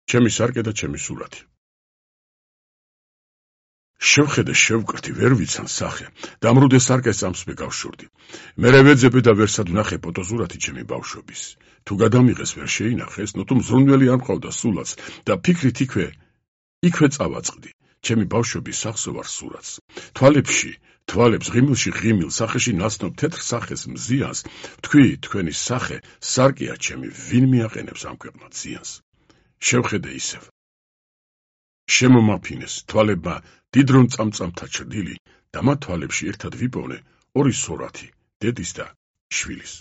ჩემი სარკე და ჩემი სურათი. შევხედე შევკრთი ვერ ვიცან სახე და ამრუდე სარკეს წამს მეკავშურდი. მერე ვეძებე და ვერსად ვნახე ფოტოსურათი ჩემი ბავშვობის. თუ გადამიღეს ვერ შეინახეს, ნუ თუ მზრუნველი არ მყავდა სულაც და ფიქრით იქვე წავაწყდი. ჩემი ბავშვობის სახსო ვარ სურათს. თვალებს ღიმილში ღიმილ სახეში ნაცნობ თეთრ სახეს მზიანს თქვი თქვენი სახე სარკეა ჩემი ვინ მიაყენებს ამ ქვეყნად ზიანს. შევხედე ისევ შემომაფინეს თვალებმა დიდრონ წამწამთა ჩრდილი და მათ თვალებში ერთად ვიპოვნე ორი სურათი დედის და შვილის.